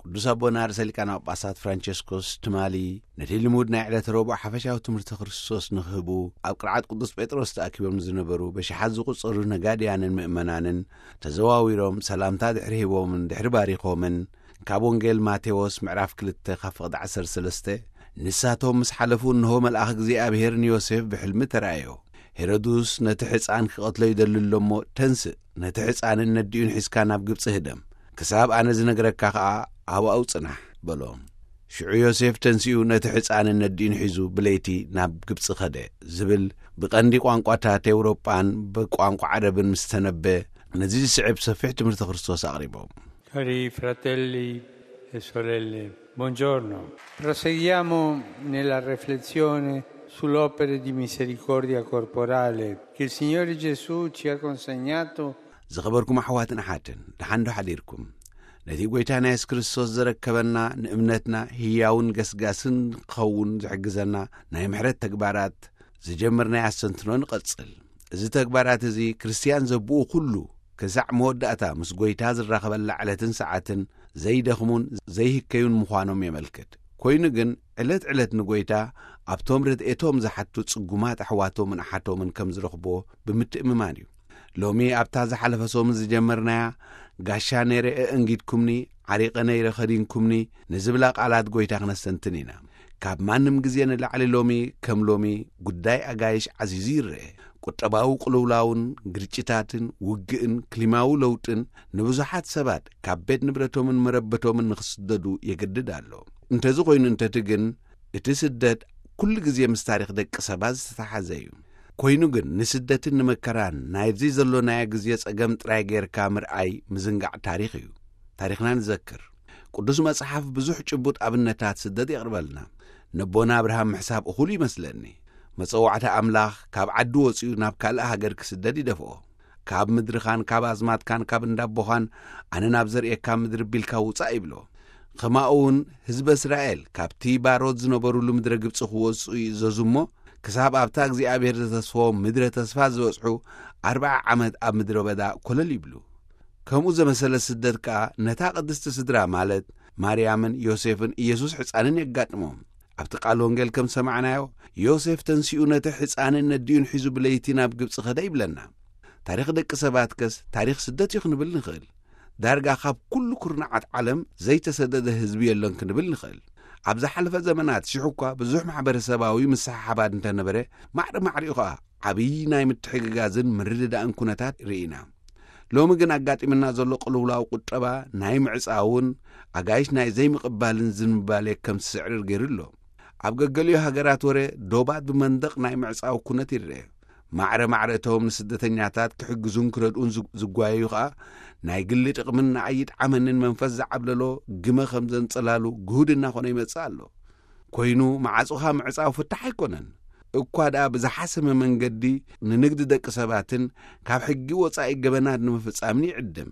ቅዱስ ኣቦና ርእሰ ሊቃነ ጳጳሳት ፍራንቸስኮስ ትማሊ ነቲ ልሙድ ናይ ዕለተ ረቡዕ ሓፈሻዊ ትምህርቲ ክርስቶስ ንኽህቡ ኣብ ቅርዓት ቅዱስ ጴጥሮስ ተኣኪቦም ዝነበሩ በሽሓት ዝቑጸሩ ነጋድያንን ምእመናንን ተዘዋዊሮም ሰላምታ ድሕሪ ሂቦምን ድሕሪ ባሪኾምን ካብ ወንጌል ማቴዎስ ምዕራፍ ክልተ ካብ ፍቕዲ ዓሰርተ ሰለስተ ንሳቶም ምስ ሓለፉ እንሆ መልኣኽ እግዚኣብሔር ንዮሴፍ ብሕልሚ ተራእዮ። ሄሮድስ ነቲ ሕፃን ክቐትሎ ይደሊ ኣሎ እሞ ተንስእ፣ ነቲ ሕፃንን ነዲኡን ሒዝካ ናብ ግብጺ ህደም። ክሳብ ኣነ ዝነግረካ ኸኣ ኣብኡ ጽናሕ በሎ። ሽዑ ዮሴፍ ተንሲኡ ነቲ ሕፃንን ነዲኡን ሒዙ ብለይቲ ናብ ግብጺ ኸደ ዝብል ብቐንዲ ቋንቋታት ኤውሮጳን ብቋንቋ ዓረብን ምስ ተነበ ነዚ ዝስዕብ ሰፊሕ ትምህርቲ ክርስቶስ ኣቕሪቦም። Cari fratelli e sorelle, buongiorno. Proseguiamo nella riflessione sull'opera di misericordia corporale che il Signore Gesù ci ha consegnato. ዝኸበርኩም ኣሕዋትን ኣሓትን፣ ደሓን ዶ ሓዲርኩም? ነቲ ጐይታ ናይ የሱስ ክርስቶስ ዘረከበና ንእምነትና ህያውን ገስጋስን ክኸውን ዝሕግዘና ናይ ምሕረት ተግባራት ዝጀመርናዮ ኣስተንትኖ ንቐጽል። እዚ ተግባራት እዚ ክርስትያን ዘብኡ ኩሉ ክሳዕ መወዳእታ ምስ ጐይታ ዝራኸበላ ዕለትን ሰዓትን ዘይደኽሙን ዘይህከዩን ምዃኖም የመልክት። ኮይኑ ግን ዕለት ዕለት ንጐይታ ኣብቶም ረድኤቶም ዝሓቱ ጽጉማት ኣሕዋቶምን ኣሓቶምን ከም ዝረኽብዎ ብምትእምማን እዩ። ሎሚ ኣብታ ዝሓለፈ ሰሙን ዝጀመርናያ ጋሻ ነይረ ኣእንጊድኩምኒ፣ ዓሪቐ ነይረ ኸዲንኩምኒ ንዝብላ ቃላት ጐይታ ክነስተንትን ኢና። ካብ ማንም ግዜ ንላዕሊ ሎሚ ከም ሎሚ ጉዳይ ኣጋይሽ ዓዚዙ ይረአ። ቁጠባዊ ቅልውላውን ግርጭታትን ውግእን ክሊማዊ ለውጥን ንብዙሓት ሰባት ካብ ቤት ንብረቶምን መረበቶምን ንኽስደዱ የገድድ ኣሎ። እንተዚ ኾይኑ እንተቲ ግን እቲ ስደት ኩሉ ግዜ ምስ ታሪኽ ደቂ ሰባት ዝተተሓዘ እዩ። ኮይኑ ግን ንስደትን ንመከራን ናይዚ ዘሎናዮ ግዜ ጸገም ጥራይ ጌርካ ምርኣይ ምዝንጋዕ ታሪኽ እዩ። ታሪኽና ንዘክር። ቅዱስ መጽሓፍ ብዙሕ ጭቡጥ ኣብነታት ስደት የቕርበልና። ነቦና ኣብርሃም ምሕሳብ እኹል ይመስለኒ። መጸዋዕታ ኣምላኽ ካብ ዓዲ ወጺኡ ናብ ካልእ ሃገር ክስደድ ይደፍኦ። ካብ ምድርኻን ካብ ኣዝማትካን ካብ እንዳቦኻን ኣነ ናብ ዘርእየካ ምድሪ ቢልካ ውጻእ ይብሎ። ኸማኡ እውን ህዝበ እስራኤል ካብቲ ባሮት ዝነበሩሉ ምድረ ግብጺ ክወጽኡ ይእዘዙ እሞ ክሳብ ኣብታ እግዚኣብሔር ዘተስፈዎም ምድረ ተስፋ ዝበጽሑ ኣርብዓ ዓመት ኣብ ምድረ በዳ ኮለል ይብሉ። ከምኡ ዘመሰለ ስደት ከኣ ነታ ቅድስቲ ስድራ ማለት ማርያምን ዮሴፍን ኢየሱስ ሕፃንን የጋጥሞም። ኣብቲ ቃል ወንጌል ከም ሰማዕናዮ ዮሴፍ ተንሲኡ ነቲ ሕፃንን ነዲኡን ሒዙ ብለይቲ ናብ ግብጺ ኸደ ይብለና። ታሪኽ ደቂ ሰባትከስ ታሪኽ ስደት እዩ ክንብል ንኽእል። ዳርጋ ካብ ኩሉ ኩርናዓት ዓለም ዘይተሰደደ ህዝቢ የሎን ክንብል ንኽእል። ኣብ ዝሓለፈ ዘመናት ሽሕ እኳ ብዙሕ ማሕበረሰባዊ ምስሕሓባት እንተነበረ ማዕረ ማዕሪኡ ኸኣ ዓብዪ ናይ ምትሕግጋዝን ምርድዳእን ኩነታት ርኢና። ሎሚ ግን ኣጋጢምና ዘሎ ቅልውላው ቁጠባ ናይ ምዕጻውን ኣጋይሽ ናይ ዘይምቕባልን ዝንባሌ ከም ዝስዕርር ገይሩ ኣሎ። ኣብ ገገሊኡ ሃገራት ወረ ዶባት ብመንደቕ ናይ ምዕጻው ኩነት ይረአ። ማዕረ ማዕረ እቶም ንስደተኛታት ክሕግዙን ክረድኡን ዝጓየዩ ኸኣ ናይ ግሊ ጥቕምን ንኣይጥ ዓመንን መንፈስ ዝዓብለሎ ግመ ከም ዘንጸላሉ ግሁድ እናኾነ ይመጽእ ኣሎ። ኮይኑ መዓጹኻ ምዕጻው ፍታሕ ኣይኮነን። እኳ ደኣ ብዝሓሰመ መንገዲ ንንግዲ ደቂ ሰባትን ካብ ሕጊ ወጻኢ ገበናት ንምፍጻምን ይዕድም።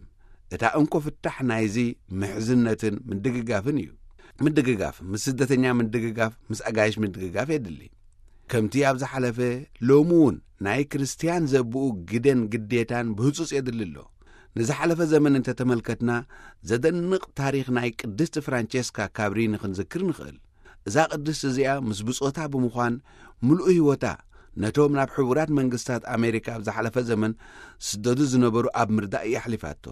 እታ እንኮ ፍታሕ ናይዚ ምሕዝነትን ምድግጋፍን እዩ። ምድግጋፍ ምስ ስደተኛ ምድግጋፍ ምስ ኣጋይሽ ምድግጋፍ የድሊ። ከምቲ ኣብ ዝሓለፈ ሎሚ እውን ናይ ክርስትያን ዘብኡ ግደን ግዴታን ብህጹጽ የድሊ ኣሎ። ንዝሓለፈ ዘመን እንተተመልከትና ዘደንቕ ታሪኽ ናይ ቅድስቲ ፍራንቸስካ ካብሪ ንኽንዝክር ንኽእል። እዛ ቅድስቲ እዚኣ ምስ ብጾታ ብምዃን ምሉእ ህይወታ ነቶም ናብ ሕቡራት መንግስታት ኣሜሪካ ኣብ ዝሓለፈ ዘመን ስደዱ ዝነበሩ ኣብ ምርዳእ እያ ኣሕሊፋቶ።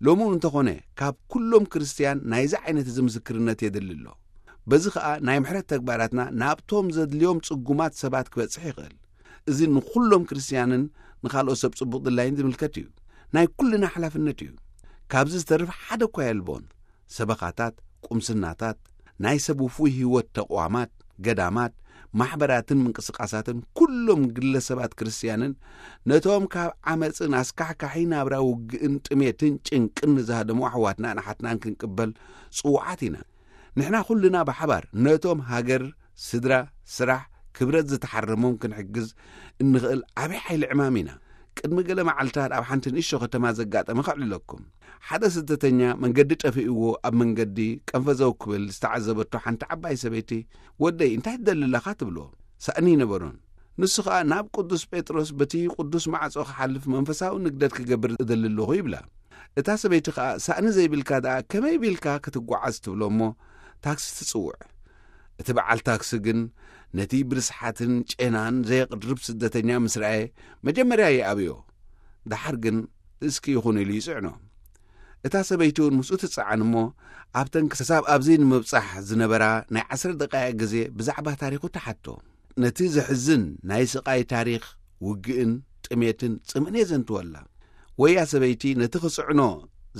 ሎሚ እውን እንተኾነ ካብ ኩሎም ክርስትያን ናይዚ ዓይነት እዚ ምስክርነት የድሊ ኣሎ። በዚ ኸኣ ናይ ምሕረት ተግባራትና ናብቶም ዘድልዮም ጽጉማት ሰባት ክበጽሕ ይኽእል። እዚ ንኹሎም ክርስትያንን ንኻልኦት ሰብ ጽቡቕ ድላይን ዝምልከት እዩ። ናይ ኩልና ሓላፍነት እዩ። ካብዚ ዝተርፍ ሓደ እኳ የልቦን። ሰበኻታት፣ ቁምስናታት፣ ናይ ሰብ ውፉይ ህይወት ተቕዋማት፣ ገዳማት፣ ማሕበራትን ምንቅስቃሳትን ኩሎም ግለሰባት ክርስትያንን ነቶም ካብ ዓመፅን ኣስካሕካሒ ናብራ ውግእን ጥሜትን ጭንቅን ንዝሃደሙ ኣሕዋትናን ኣሓትናን ክንቅበል ጽዉዓት ኢና። ንሕና ኩልና ብሓባር ነቶም ሃገር፣ ስድራ፣ ስራሕ፣ ክብረት ዝተሓረሞም ክንሕግዝ እንኽእል ዓብዪ ሓይሊ ዕማም ኢና። ቅድሚ ገለ መዓልታት ኣብ ሓንቲ ንእሽቶ ከተማ ዘጋጠመ ከዕልለኩም። ሓደ ስደተኛ መንገዲ ጠፊእዎ ኣብ መንገዲ ቀንፈዘው ክብል ዝተዓዘበቶ ሓንቲ ዓባይ ሰበይቲ፣ "ወደይ እንታይ ትደሊ ኣለኻ?" ትብሎ። ሳእኒ ይነበሮን። ንሱ ኸኣ ናብ ቅዱስ ጴጥሮስ በቲ ቅዱስ ማዕጾ ክሓልፍ መንፈሳዊ ንግደት ክገብር እደሊ ኣለኹ ይብላ። እታ ሰበይቲ ከኣ ሳእኒ ዘይብልካ ደኣ ከመይ ቢልካ ክትጓዓዝ ትብሎ እሞ ታክሲ ትጽውዕ። እቲ በዓል ታክሲ ግን ነቲ ብርስሓትን ጨናን ዘየቕርብ ስደተኛ ምስ ረኣየ መጀመርያ ይኣብዮ። ደሓር ግን እስኪ ይኹን ኢሉ ይጽዕኖ። እታ ሰበይቲ እውን ምስኡ ትጸዓን እሞ ኣብተን ክሳብ ኣብዚ ንምብጻሕ ዝነበራ ናይ ዓሰርተ ደቃይቕ ግዜ ብዛዕባ ታሪኹ ትሓቶ። ነቲ ዘሕዝን ናይ ስቓይ ታሪኽ ውግእን ጥሜትን ጽምእን የዘንትወላ። ወያ ሰበይቲ ነቲ ክጽዕኖ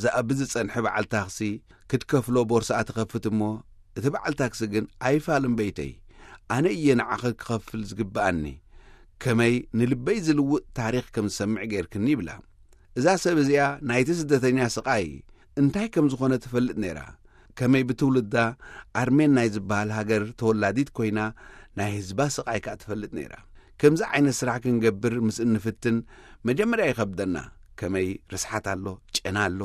ዝኣቢ ዝጸንሐ በዓል ታክሲ ክትከፍሎ ቦርስኣ ትኸፍት እሞ እቲ በዓል ታክሲ ግን ኣይፋልን በይተይ፣ ኣነ እየ ንዓኺ ክኸፍል ዝግብኣኒ፣ ከመይ ንልበይ ዝልውጥ ታሪኽ ከም ዝሰምዕ ጌርክኒ ይብላ። እዛ ሰብ እዚኣ ናይቲ ስደተኛ ስቓይ እንታይ ከም ዝኾነ ትፈልጥ ነይራ። ከመይ ብትውልዳ ኣርሜን ናይ ዝበሃል ሃገር ተወላዲት ኮይና ናይ ህዝባ ስቓይ ከኣ ትፈልጥ ነይራ። ከምዚ ዓይነት ስራሕ ክንገብር ምስ እንፍትን መጀመርያ ይኸብደና። ከመይ ርስሓት ኣሎ፣ ጨና ኣሎ።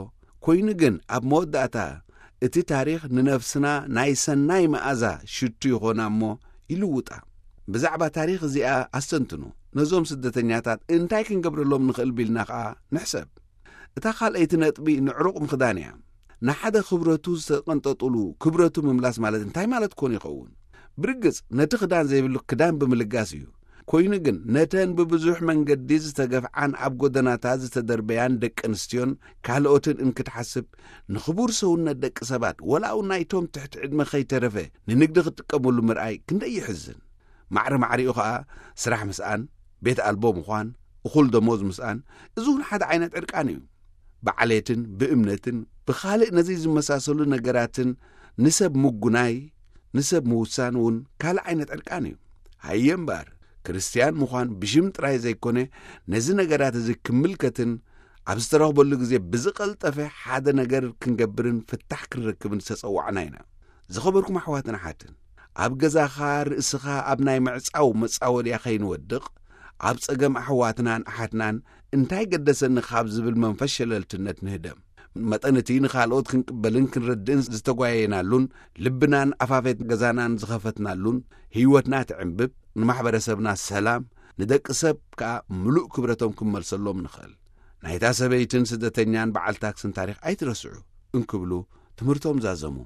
ኮይኑ ግን ኣብ መወዳእታ እቲ ታሪኽ ንነፍስና ናይ ሰናይ መኣዛ ሽቱ ይኾና እሞ ይልውጣ። ብዛዕባ ታሪኽ እዚኣ ኣስተንትኑ። ነዞም ስደተኛታት እንታይ ክንገብረሎም ንኽእል ቢልና ኸኣ ንሕሰብ። እታ ካልኣይቲ ነጥቢ ንዕሩቕ ምኽዳን እያ። ንሓደ ክብረቱ ዝተቐንጠጡሉ ክብረቱ ምምላስ ማለት እንታይ ማለት ኮን ይኸውን? ብርግጽ ነቲ ክዳን ዘይብሉ ክዳን ብምልጋስ እዩ። ኮይኑ ግን ነተን ብብዙሕ መንገዲ ዝተገፍዓን ኣብ ጎደናታት ዝተደርበያን ደቂ ኣንስትዮን ካልኦትን እንክትሓስብ ንኽቡር ሰውነት ደቂ ሰባት ወላ እውን ናይቶም ትሕቲ ዕድመ ከይተረፈ ንንግዲ ክጥቀመሉ ምርኣይ ክንደይ ይሕዝን። ማዕረ ማዕሪኡ ኸኣ ስራሕ ምስኣን፣ ቤት ኣልቦ ምዃን፣ እኹል ደሞዝ ምስኣን፣ እዚ እውን ሓደ ዓይነት ዕርቃን እዩ። ብዓሌትን ብእምነትን ብኻልእ ነዚ ዝመሳሰሉ ነገራትን ንሰብ ምጉናይ፣ ንሰብ ምውሳን እውን ካልእ ዓይነት ዕርቃን እዩ። ሃየ እምበኣር፣ ክርስትያን ምዃን ብሽም ጥራይ ዘይኮነ፣ ነዚ ነገራት እዚ ክምልከትን ኣብ ዝተረኽበሉ ግዜ ብዝቐልጠፈ ሓደ ነገር ክንገብርን ፍታሕ ክንረክብን ዝተጸዋዕና ኢና። ዝኸበርኩም ኣሕዋትን ኣሓትን፣ ኣብ ገዛኻ ርእስኻ ኣብ ናይ ምዕጻው መጻወድያ ከይንወድቕ፣ ኣብ ጸገም ኣሕዋትናን ኣሓትናን እንታይ ገደሰኒ ካብ ዝብል መንፈስ ሸለልትነት ንህደም። መጠን እቲ ንኻልኦት ክንቅበልን ክንረድእን ዝተጓየናሉን ልብናን ኣፋፌት ገዛናን ዝኸፈትናሉን ህይወትና ትዕንብብ፣ ንማሕበረሰብና ሰላም፣ ንደቂ ሰብ ከኣ ምሉእ ክብረቶም ክንመልሰሎም ንኽእል። ናይታ ሰበይትን ስደተኛን በዓል ታክስን ታሪኽ ኣይትረስዑ እንክብሉ ትምህርቶም ዛዘሙ።